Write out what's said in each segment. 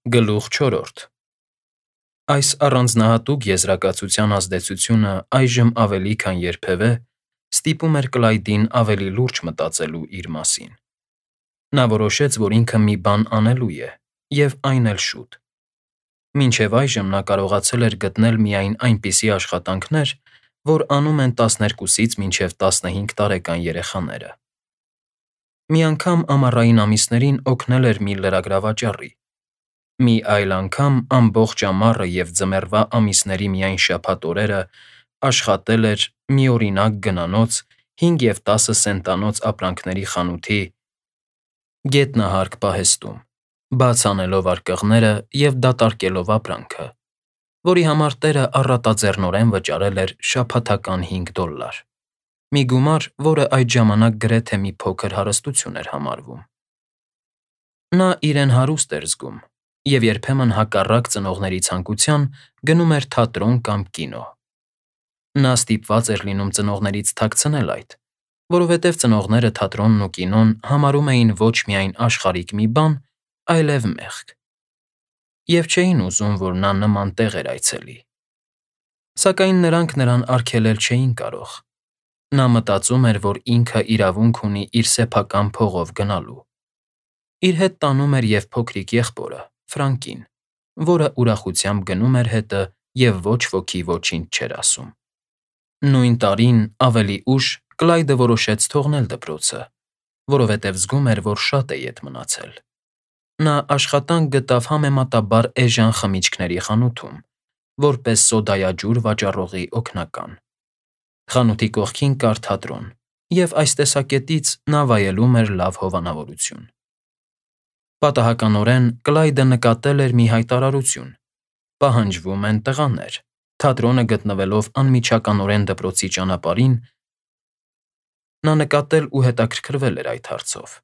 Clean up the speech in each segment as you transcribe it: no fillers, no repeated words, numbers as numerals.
Գլուխ 4. Այս առանձնահատուկ եզրակացության ազդեցությունը այժմ ավելի քան երբևէ ստիպում էր Կլայդին ավելի լուրջ մտածելու իր մասին։ Նա որոշեց, որ ինքը մի բան անելու է, և այն էլ շուտ։ Մինչև այժմ նա կարողացել էր գտնել միայն այնպիսի աշխատանքներ, որ անում են 12-ից մինչև 15 տարեկան երեխաները։ Մի անգամ ամառային ամիսներին օգնել էր մի լրագրավաճառի, մի այլ անգամ ամբողջ ամառը և ձմեռվա ամիսների միայն շաբաթ օրերը աշխատել էր միօրինակ գնանոց 5 և 10 սենտանոց ապրանքների խանութի գետնահարկ պահեստում, բաց անելով արկղները և դատարկելով ապրանքը, որի համար տերը առատաձեռնորեն վճարել էր շաբաթական $5, մի գումար, որը այդ ժամանակ գրեթե մի փոքր հարստություն էր համարվում։ Նա իրեն հարուստ էր զգում և երբեմն հակառակ ծնողների ցանկության գնում էր թատրոն կամ կինո։ Նա ստիպված էր լինում ծնողներից թաքցնել այդ, որովհետև ծնողները թատրոնն ու կինոն համարում էին ոչ միայն աշխարհիկ մի բան, այլև մեղք, և չէին ուզում, որ նա նման տեղեր այցելի։ Սակայն նրանք նրան արգելել չէին կարող։ Նա մտածում էր, որ ինքը իրավունք ունի իր սեփական փողով գնալու։ Իր հետ տանում էր և փոքրիկ եղբորը՝ Ֆրանկին, որը ուրախությամբ գնում էր հետը և ոչ ոքի ոչինչ չէր ասում։ Նույն տարին ավելի ուշ Կլայդը որոշեց թողնել դպրոցը, որովհետև զգում էր, որ շատ է ետ մնացել։ Նա աշխատանք գտավ համեմատաբար էժան խմիչքների խանութում, որպես սոդայաջուր վաճառողի օգնական։ Խանութի կողքին կար թատրոն, և այս տեսակետից նա վայելում էր լավ հովանավորություն։ Պատահականորեն Կլայդը նկատել էր մի հայտարարություն. պահանջվում են տղաներ։ Թատրոնը գտնվելով անմիջականորեն դպրոցի ճանապարհին, նա նկատել ու հետաքրքրվել էր այդ հարցով։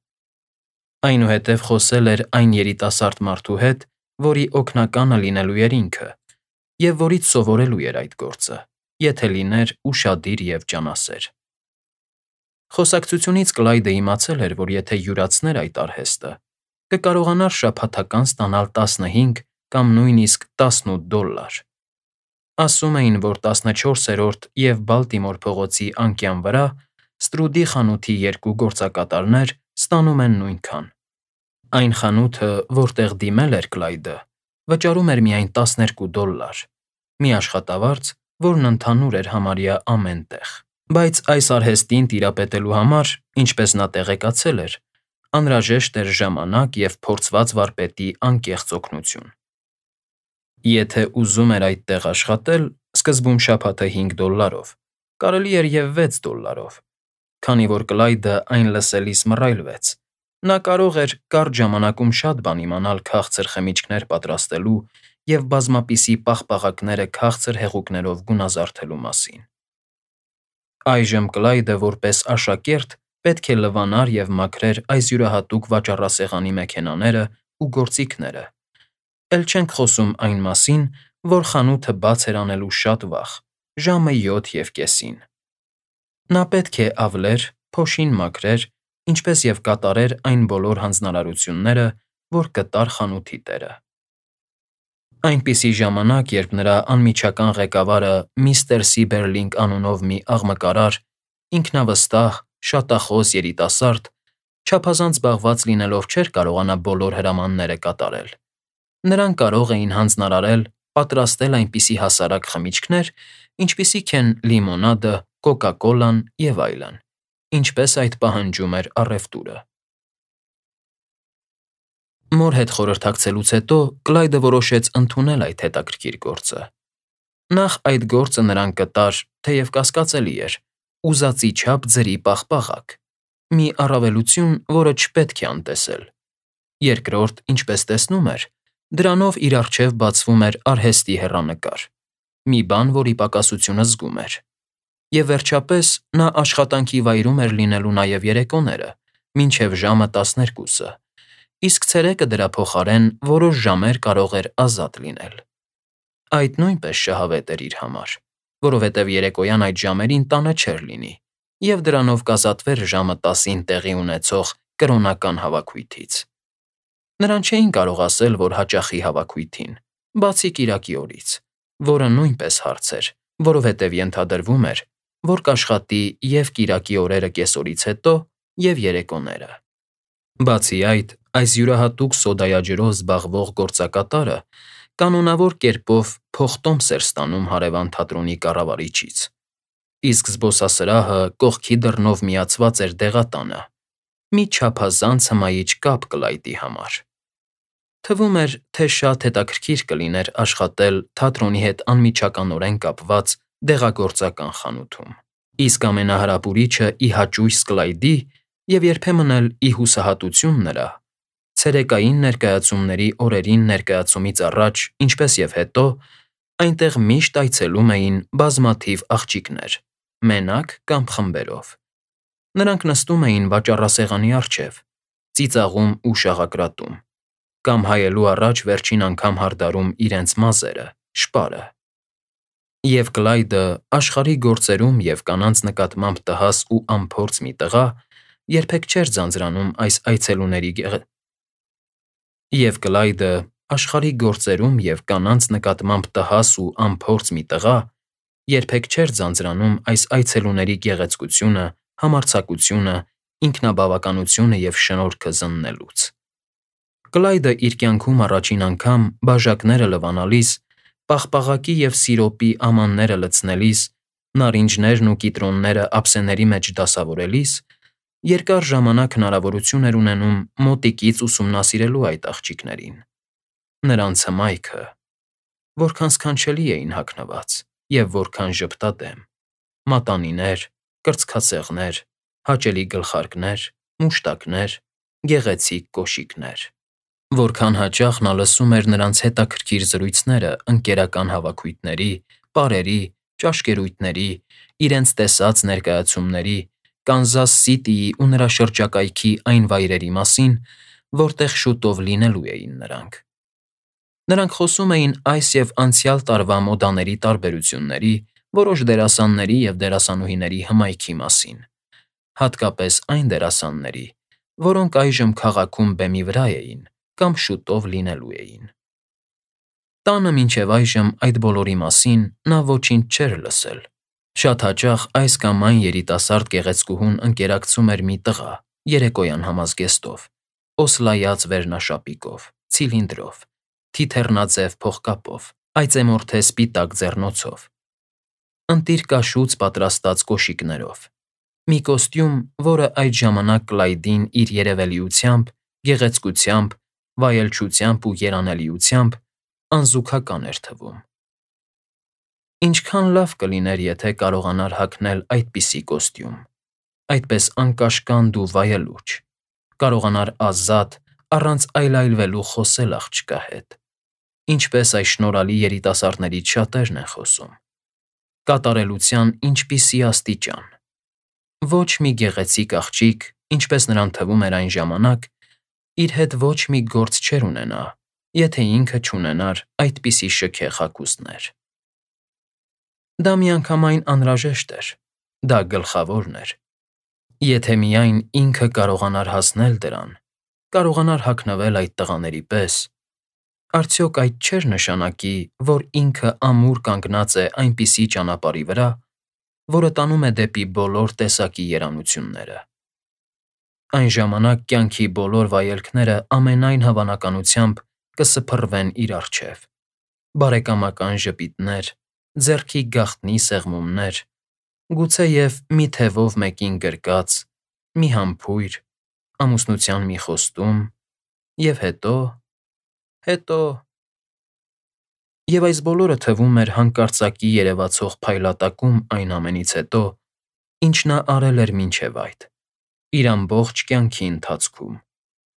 Այնուհետև խոսել էր այն երիտասարդ մարդու հետ, որի օգնականը լինելու էր ինքը, և որից սովորելու էր այդ գործը, եթե լիներ ուշադիր և ջանասեր։ Խոսակցությունից Կլայդը իմացել էր, որ եթե յուրացներ այդ արհեստը, կկարողանար շաբաթական ստանալ 15 կամ նույնիսկ $18։ Ասում էին, որ 14-րդ և Բալտիմոր փողոցի անկյան վրա Ստրուդի խանութի երկու գործակատարներ ստանում են նույնքան։ Այն խանութը, որտեղ դիմել էր Կլայդը, վճարում էր միայն $12, մի աշխատավարձ, որն ընդհանուր էր համարյա ամեն տեղ։ Բայց այս արհեստին տիրապետելու համար, ինչպես նա տեղեկացել էր, անհրաժեշտ էր ժամանակ և փորձված վարպետի անկեղծ օգնություն։ Եթե ուզում էր այդտեղ աշխատել, սկզբում շաբաթը $5, կարելի էր և $6, քանի որ Կլայդը այն լսելիս մռայլվեց։ Նա կարող էր կարճ ժամանակում շատ բան իմանալ քաղցր խմիչքներ պատրաստելու և բազմապիսի պաղպաղակները քաղցր հեղուկներով գունազարդելու մասին։ Այժմ Կլայդը որպես աշակերտ պետք է լվանար և մաքրեր այս յուրահատուկ վաճառասեղանի մեքենաներն ու գործիքները, էլ չենք խոսում այն մասին, որ խանութը բաց էր անելու շատ վաղ՝ ժամը 7:30։ Նա պետք է ավլեր, փոշին մաքրեր, ինչպես և կատարեր այն բոլոր հանձնարարությունները, որ կտար խանութի տերը։ Այնպիսի ժամանակ, երբ նրա անմիջական ղեկավարը միստր Սիբերլինգ անունով մի աղմկարար, ինքնավստահ, շատախոս երիտասարդ, չափազանց զբաղված լինելով չէր կարողանա բոլոր հրամանները կատարել։ Նրան կարող էին հանձնարարել պատրաստել այնպիսի հասարակ խմիչքներ, ինչպիսիք են լիմոնադը, կոկա֊կոլան և այլն, ինչպես այդ պահանջում էր առևտուրը։ Մոր հետ խորհրդակցելուց հետո Կլայդը որոշեց ընդունել այդ հետաքրքիր գործը։ Նախ այդ գործը նրան կտար, թեև կասկածելի էր, ուզածի չափ ձրի պաղպաղակ, մի առավելություն, որը չպետք է անտեսել։ Երկրորդ, ինչպես տեսնում էր, դրանով իր առջև բացվում էր արհեստի հեռանկար, մի բան, որի պակասությունը զգում էր։ Եվ վերջապես, նա աշխատանքի վայրում էր լինելու նաև երեկոները, մինչև ժամը 12, իսկ ցերեկը դրա փոխարեն որոշ ժամեր կարող էր ազատ լինել։ Այդ նույնպես շահավետ էր իր համար, որովհետև երեկոյան այդ ժամերին տանը չէր լինի, և դրանով կազատվեր ժամը 10-ին տեղի ունեցող կրոնական հավաքույթից։ Նրան չէին կարող ասել, որ հաճախի հավաքույթին, բացի կիրակի օրից, որը նույնպես հարց էր, որովհետև ենթադրվում էր, որ կաշխատի և կիրակի օրերը կեսօրից հետո, և երեկոները։ Բացի այդ, այս յուրահատուկ սոդայաջրով զբաղվող գործակատարը կանոնավոր կերպով փոխտոմս էր ստանում հարևան թատրոնի կառավարիչից, իսկ զբոսասրահը կողքի դռնով միացված էր դեղատանը, մի չափազանց հմայիչ կապ Կլայդի համար։ Թվում էր, թե շատ հետաքրքիր կլիներ աշխատել թատրոնի հետ անմիջականորեն կապված դեղագործական խանութում, իսկ ամենահրապուրիչը ի հաճույս Կլայդի և երբեմն էլ ի հուսահատություն նրա, ցերեկային ներկայացումների օրերին ներկայացումից առաջ, ինչպես և հետո, այնտեղ միշտ այցելում էին բազմաթիվ աղջիկներ, մենակ կամ խմբերով։ Նրանք նստում էին վաճառասեղանի առջև, ծիծաղում ու շաղակրատում, կամ հայելու առաջ վերջին անգամ հարդարում իրենց մազերը, շպարը։ Եվ Կլայդը, աշխարհի գործերում և կանանց նկատմամբ տհաս ու անփորձ մի տղա, երբեք չէր ձանձրանում այս այցելուների գեղեցկությունը, համարձակությունը, ինքնաբավականությունը և շնորհքը զննելուց։ Կլայդը իր կյանքում առաջին անգամ բաժակները լվանալիս, պաղպաղակի և սիրոպի ամանները լցնելիս, նարինջներն ու կիտրոնները ափսեների մեջ դասավորելիս, երկար ժամանակ հնարավորություն էր ունենում մոտիկից ուսումնասիրելու այդ աղջիկներին, նրանց հմայքը, որքան սքանչելի էին հագնված և որքան ժպտադեմ, մատանիներ, կրծքածեղներ, հաճելի գլխարկներ, մուշտակներ, գեղեցիկ կոշիկներ, որքան հաճախ նա լսում էր նրանց հետաքրքիր զրույցները ընկերական հավաքույթների, պարերի, ճաշկերույթների, իրենց տեսած ներկայացումների, Կանզաս Սիթիի ու նրա շրջակայքի այն վայրերի մասին, որտեղ շուտով լինելու էին նրանք։ Նրանք խոսում էին այս և անցյալ տարվա մոդաների տարբերությունների, որոշ դերասանների և դերասանուհիների հմայքի մասին, հատկապես այն դերասանների, որոնք այժմ քաղաքում բեմի վրա էին կամ շուտով լինելու էին։ Տանը մինչև այժմ այդ բոլորի մասին նա ոչինչ չէր լսել։ Շատ հաճախ այս կամ այն երիտասարդ գեղեցկուհուն ընկերակցում էր մի տղա, երեկոյան համազգեստով, օսլայած վերնաշապիկով, ցիլինդրով, թիթեռնաձև փողկապով, այծեմորթե սպիտակ ձեռնոցով, ընտիր կաշուց պատրաստած կոշիկներով, մի կոստյում, որը այդ ժամանակ Կլայդին իր երևելիությամբ, գեղեցկությամբ, վայելչությամբ ու երանելիությամբ անզուգական էր թվում։ Ինչքան լավ կլիներ, եթե կարողանար հագնել այդպիսի կոստյում, այդպես անկաշկանդ ու վայելուչ, կարողանար ազատ, առանց այլայլվելու խոսել աղջկա հետ, ինչպես այս շնորհալի երիտասարդներից շատերն են խոսում։ Կատարելության ինչպիսի աստիճան։ Ոչ մի գեղեցիկ աղջիկ, ինչպես նրան թվում էր այն ժամանակ, իր հետ ոչ մի գործ չէր ունենա, եթե ինքը չունենար այդպիսի շքեղ հագուստներ։ Դա միանգամայն անհրաժեշտ էր, դա գլխավորն էր։ Եթե միայն ինքը կարողանար հասնել դրան, կարողանար հագնվել այդ տղաների պես, արդյոք այդ չէր նշանակի, որ ինքը ամուր կանգնած է այնպիսի ճանապարհի վրա, որը տանում է դեպի բոլոր տեսակի երանությունները։ Այն ժամանակ կյանքի բոլոր վայելքները ամենայն հավանականությամբ կսփռվեն իր առջև. բարեկամական ժպիտներ, ձեռքի գաղտնի սեղմումներ, գուցեև մի թևով մեկին գրկած, մի համբույր, ամուսնության մի խոստում, և հետո… Եվ այս բոլորը թվում էր հանկարծակի երևացող փայլատակում այն ամենից հետո, ինչ նա արել էր մինչև այդ, իր ամբողջ կյանքի ընթացքում,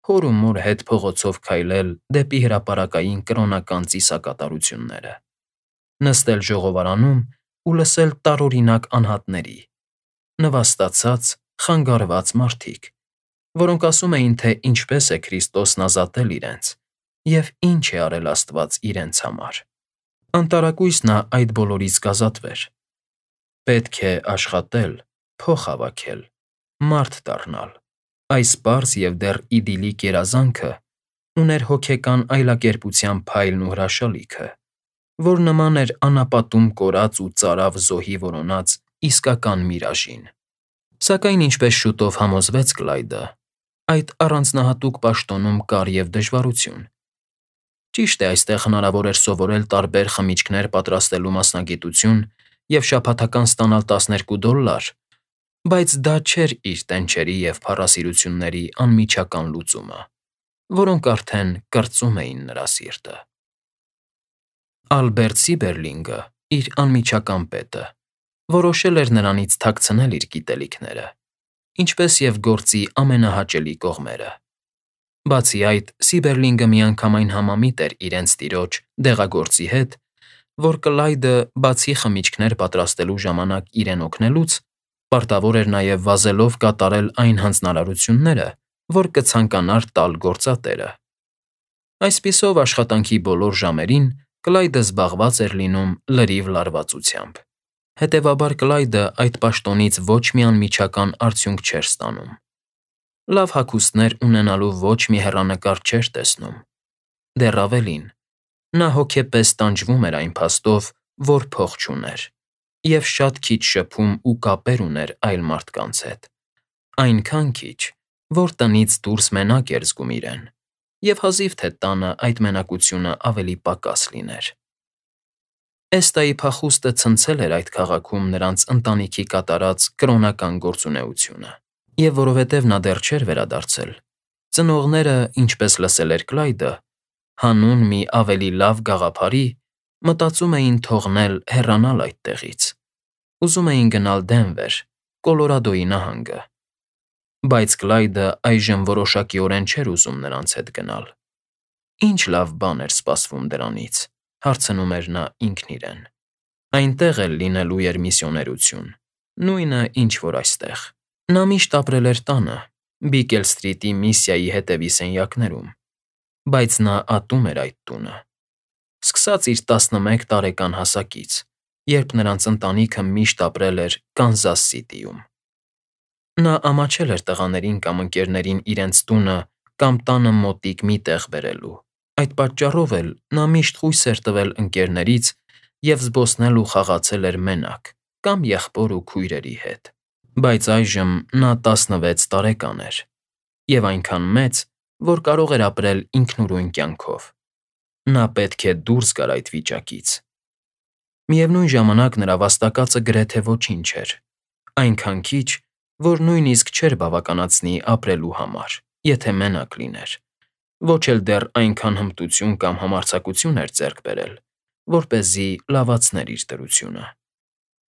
հոր ու մոր հետ փողոցով քայլել դեպի հրապարակային կրոնական ծիսակատարությունները, նստել ժողովարանում ու լսել տարօրինակ անհատների, նվաստացած, խանգարված մարդիկ, որոնք ասում էին, թե ինչպես է Քրիստոսն ազատել իրենց և ինչ է արել Աստված իրենց համար։ Անտարակույս նա այդ բոլորից կազատվեր։ Պետք է աշխատել, փող հավաքել, մարդ դառնալ։ Այս պարզ և դեռ իդիլիկ երազանքը ուներ հոգեկան այլակերպության փայլն ու հրաշալիքը, որ նման էր անապատում կորած ու ծարավ զոհի որոնած իսկական միրաժին։ Սակայն ինչպես շուտով համոզվեց Կլայդը, այդ առանձնահատուկ պաշտոնում կար և դժվարություն։ Ճիշտ է, այստեղ հնարավոր էր սովորել տարբեր խմիչքներ պատրաստելու մասնագիտություն և շաբաթական ստանալ $12, բայց դա չէր իր տենչերի և փառասիրությունների անմիջական լուծումը, որոնք արդեն կրծում էին նրա սիրտը։ Ալբերտ Սիբերլինգը, իր անմիջական պետը, որոշել էր նրանից թաքցնել իր գիտելիքները, ինչպես և գործի ամենահաճելի կողմերը։ Բացի այդ, Սիբերլինգը միանգամայն համամիտ էր իրենց տիրոջ՝ դեղագործի հետ, որ Կլայդը, բացի խմիչքներ պատրաստելու ժամանակ իրեն օգնելուց, պարտավոր էր նաև վազելով կատարել այն հանձնարարությունները, որ կցանկանար տալ գործատերը։ Այսպիսով, աշխատանքի բոլոր ժամերին Կլայդը զբաղված էր լինում լրիվ լարվածությամբ։ Հետևաբար Կլայդը այդ պաշտոնից ոչ մի անմիջական արդյունք չէր ստանում։ Լավ հագուստներ ունենալու ոչ մի հեռանկար չէր տեսնում։ Դեռ ավելին, նա հոգեպես տանջվում էր այն փաստով, որ փող չուներ, և շատ քիչ շփում ու կապեր ուներ այլ մարդկանց հետ, այնքան քիչ, որ տնից դուրս մենակ էր զգում իրեն, և հազիվ թե տանը այդ մենակությունը ավելի պակաս լիներ։ Էստայի փախուստը ցնցել էր այդ քաղաքում նրանց ընտանիքի կատարած կրոնական գործունեությունը, և որովհետև նա դեռ չէր վերադարձել, ծնողները, ինչպես լսել էր Կլայդը, հանուն մի ավելի լավ գաղափարի, մտածում էին թողնել հեռանալ այդտեղից, ուզում էին գնալ Դենվեր, Կոլորադոյի նահանգը։ Բայց Կլայդը այժմ որոշակիորեն չէր ուզում նրանց հետ գնալ։ Ինչ լավ բան էր սպասվում դրանից, հարցնում էր նա ինքն իրեն։ Այնտեղ էլ լինելու էր միսիոներություն, նույնը, ինչ որ այստեղ։ Նա միշտ ապրել էր տանը, Բիկել Սթրիթի Միսիայի հետևի սենյակներում, բայց նա ատում էր այդ տունը։ Սկսած իր 11 տարեկան հասակից, երբ նրանց ընտանիքը միշտ ապրել էր Կանզաս Սիթիում։ Նա ամաչել էր տղաներին կամ ընկերներին իրենց տունը կամ տանը մոտիկ մի տեղ բերելու։ Այդ պատճառով էլ նա միշտ խույս էր տվել ընկերներից և զբոսնել ու խաղացել էր մենակ կամ եղբոր ու քույրերի հետ։ Բայց այժմ նա 16 տարեկան էր և այնքան մեծ, որ կարող էր ապրել ինքնուրույն կյանքով։ Նա պետք է դուրս գար այդ վիճակից։ Միևնույն ժամանակ նրա վաստակածը գրեթե ոչինչ էր, այնքան քիչ, որ նույնիսկ չէր բավականացնի ապրելու համար, եթե մենակ լիներ, ոչ էլ դեռ այնքան հմտություն կամ համարձակություն էր ձեռք բերել, որպեսզի լավացներ իր դրությունը։